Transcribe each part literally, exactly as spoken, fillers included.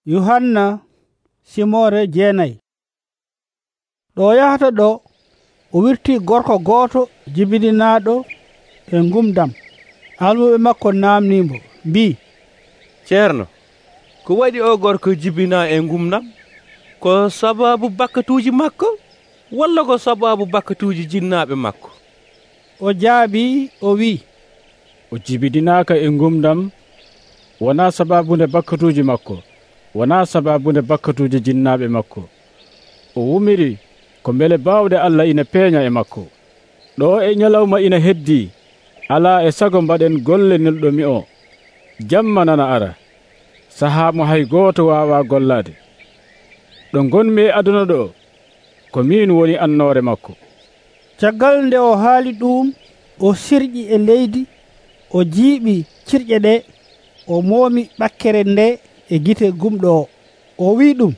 Yuhanna simore jeenayi. ɗo yahata ɗo o wirti gorko gooto jibinaaɗo e ngumdam. Almuɓe makko namnimo mbi, ceerno, ko waɗi o gorko jibina e ngumdam? Ko sababu bakkatuuji makko walla ko sababu bakkatuuji jinnaaɓe makko? O jaabi o wi, o jibidinaaka e ngumdam wonaa sababunde bakkatuuji makko, wonaa sababunde bakkatuuji jinnaaɓe makko. O wumiri ko mbele baawɗe Allah ina peeña e makko. Ɗo e nyalawma ina heddii, alaa e sago mbaɗen golle nelɗomi o. Jamma nana ara, sahaa mo hay gooto waawaa gollaade. Ɗo ngonmi e aduna ɗo, ko min woni annoore makko. Caggal nde o haali ɗum, o sirƴi e leydi, o jiiɓi cirƴe ɗe, o moomi ɓakkere nde e gite gumɗo o. O wi ɗum,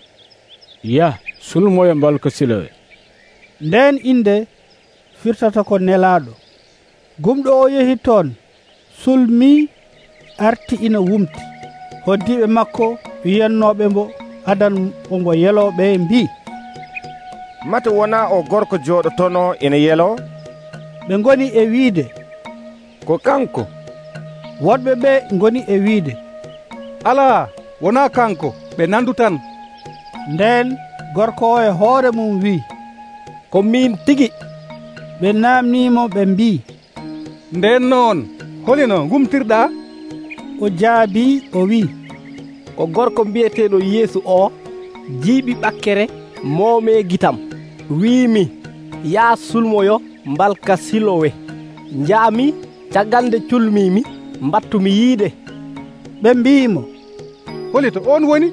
yah, sulmoya mbalka Silowe. Nden inde firtata ko nelaaɗo. Gumɗo o yehi toon, sulmii, arti ina wumti. Hoddiiɓe makko wiyannooɓe mbo adan ombo yelooɓe mbi, mate wonaa o gorko jooɗotono ina yeloo? Ɓe ngoni e wiide, ko kanko. Woɗɓe ɓe ngoni e wiide, alaa, wonaa kanko, ɓe nandu tan. Nden gorko o e hoore mum wi, ko min tigi. Ɓe naamniimo ɓe mbi, nden noon holino ngumtirɗaa? O jaabii o wi, ko gorko mbiyeteeɗo Yeesu o jiiɓi ɓakkere moomee gitam, wiimi, yaa sulmoyo mbalka Silowe. Njaami, caggal nde culmiimi, mbattumi yiide. Ɓe mbiimo, holito on woni?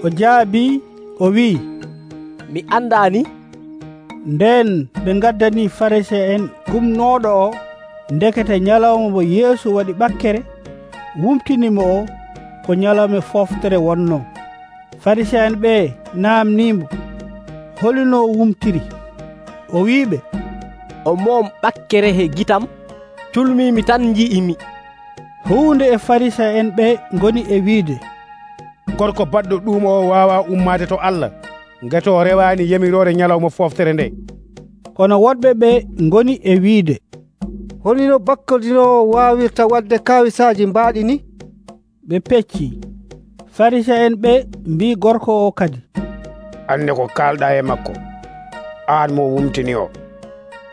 O jaabii o wi, mi andaani. Nden ɓe ngaddanii Farisee en gumnooɗo o, ndekete nyalawma mo Yeesu waɗi ɓakkere, wumtinimo o ko nyalawma fooftere wonnoo. Farisee en ɓe naamniimo holino wumtiri. O wiiɓe, o moom ɓakkere he gitam, culmiimi tan nji'imi. Huunde e Farisee en ɓe ngoni e wiide, gorko baɗɗo ɗum o waawaa ummaade to Allah, ngati o rewaani yamiroore nyalawma fooftere nde. Kono woɗɓe ɓe ngoni e wiide, holino bakkadinoowo waawirta waɗde kaawisaaji mbaaɗi ni? Ɓe peccii. Farisee en ɓe mbii gorko o kadi, anne ko kaalɗaa e makko, aan mo wumtini o.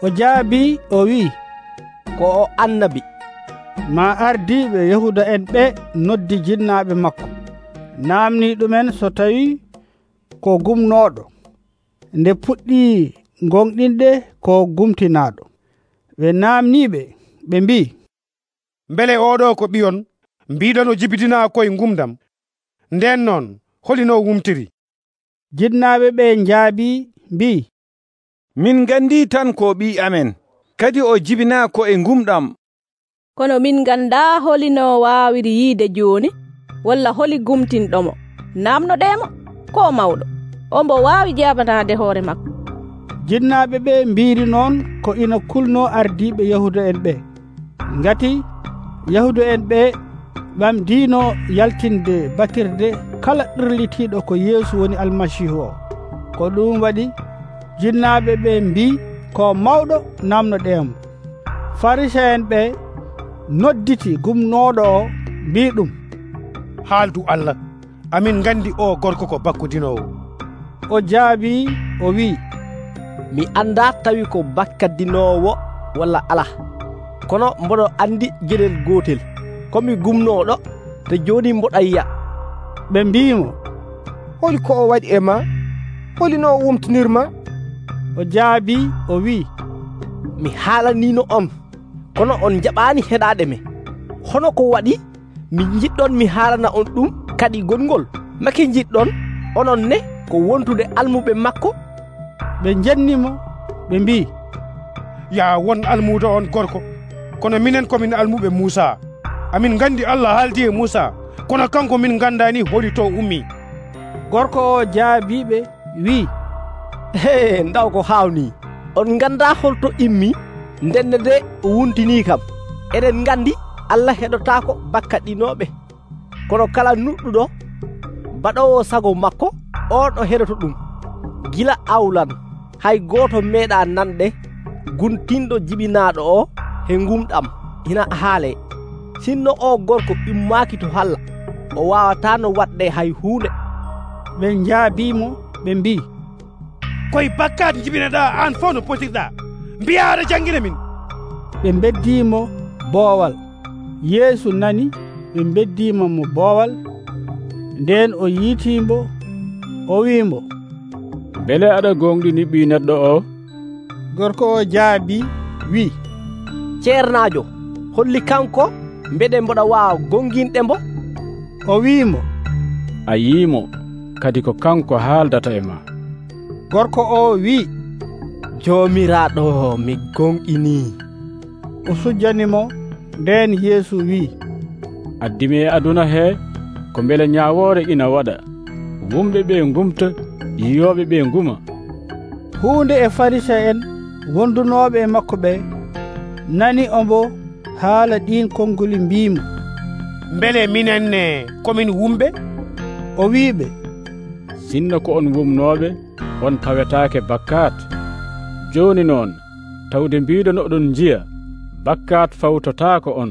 O jaabii o wii, ko o annabi. Ma ardiiɓe Yahuda en ɓe noddi jinnaaɓe makko, naamnii ɗumen so tawii ko gumnooɗo, nde puɗɗii gonɗinde ko gumtinaaɗo. Ɓe naamniiɓe ɓe mbii, mbele oɗo ko ɓiyon mbiɗon o jibidinaa koye ngumdam, nden noon holino wumtiri? Jinnaaɓe ɓe njaabii mbii, min nganndi tan ko ɓii amen, kadi o jibinaa ko e ngumɗam. Kono min nganndaa holino waawiri yiide jooni, walla holi gumtinɗomo. Naamnoɗeemo ko mawɗo, o mbo waawi jaabanaade hoore makko. Jinnaaɓe ɓe mbiiri noon ko ina kulnoo ardiiɓe Yahuda en ɓe, ngati Yahuda en ɓe ɓamdiino yaltinde batirde kala ɗirlitiiɗo ko Yeesu woni Almasiihu o. Ko ɗum waɗi jinnaaɓe ɓe mbii ko mawɗo naamnoɗeemo. Farisee en ɓe nodditi gumnooɗo o mbii ɗum, haaldu Allah, amin nganndi o gorko ko bakkudinoowo. O jaabii o wii, mi anndaa tawi ko bakkadinoowo walla alaa, kono mboɗo anndi geɗel gootel, komi gumnooɗo, te jooni mboɗa yiya. Ɓe mbiimo, holi ko o waɗi e ma? Holino o wumtinirma? O jaabii o wii, mi haalaniino on, kono on jaɓaani heɗaade me. Hono ko waɗi mi jiɗɗon mi haalana on ɗum kadi gongol, make jiɗɗon onon ne ko wontude almuɓe makko? Ɓe njennimo ɓe mbii, yaa won almuudo on gorko, kono minen komin almuɓe Muusa. Amin nganndi Allah haaldi e Muusa, kono kanko min nganndaani holi to ummi. Gorko o jaabiiɓe wii, he ndaw ko haawnii, on nganndaa holto immi, ndenne de o wuntinii kam. Eɗen nganndi Allah heɗotaako bakkaɗinooɓe, kono kala nuɗɗuɗo baɗowo sago makko on o heɗoto ɗum gila awlan hay gooto meeɗa nanɗe guntinɗo jibinaaɗo o he ngumɗam ina haalee. sinno o gorko immaaki to halla o waawataano waɗde hay huunde. ɓe njaabiimo ɓe mbi, koye bakkat jibinaɗaa aan fof no potirɗaa, mbiyaa aɗa janngina min. ɓe beddiimo boowal. Yeesu nani ɓe beddiimo mo boowal. Nden o yiitiimbo o wiimo, bele aɗa gonɗini ɓii neɗɗo o? gorko o jaabi wi, ceernaajo, holli kanko mbeɗe mboɗa waawa gonginɗembo. o wiimo, a yiimo kadi ko kanko haaldata e ma. gorko o wi, joomiraaɗo, mi gonɗinii. o sujjanimo. Nden Yeesu wi, addimi e aduna he ko mbele ñaawoore ina waɗa, wumɓe ɓe ngumta, yiyooɓe ɓe nguma. huunde e Farisa en wondunooɓe e makko ɓe nani ombo haala ɗin konnguli mbiimo, mbele minenne komin wumɓe? o wiiɓe, sinno ko on wumnooɓe on pawetaake bakkat. jooni noon tawde mbiiɗon oɗon njiya bakkat fawtotaako on.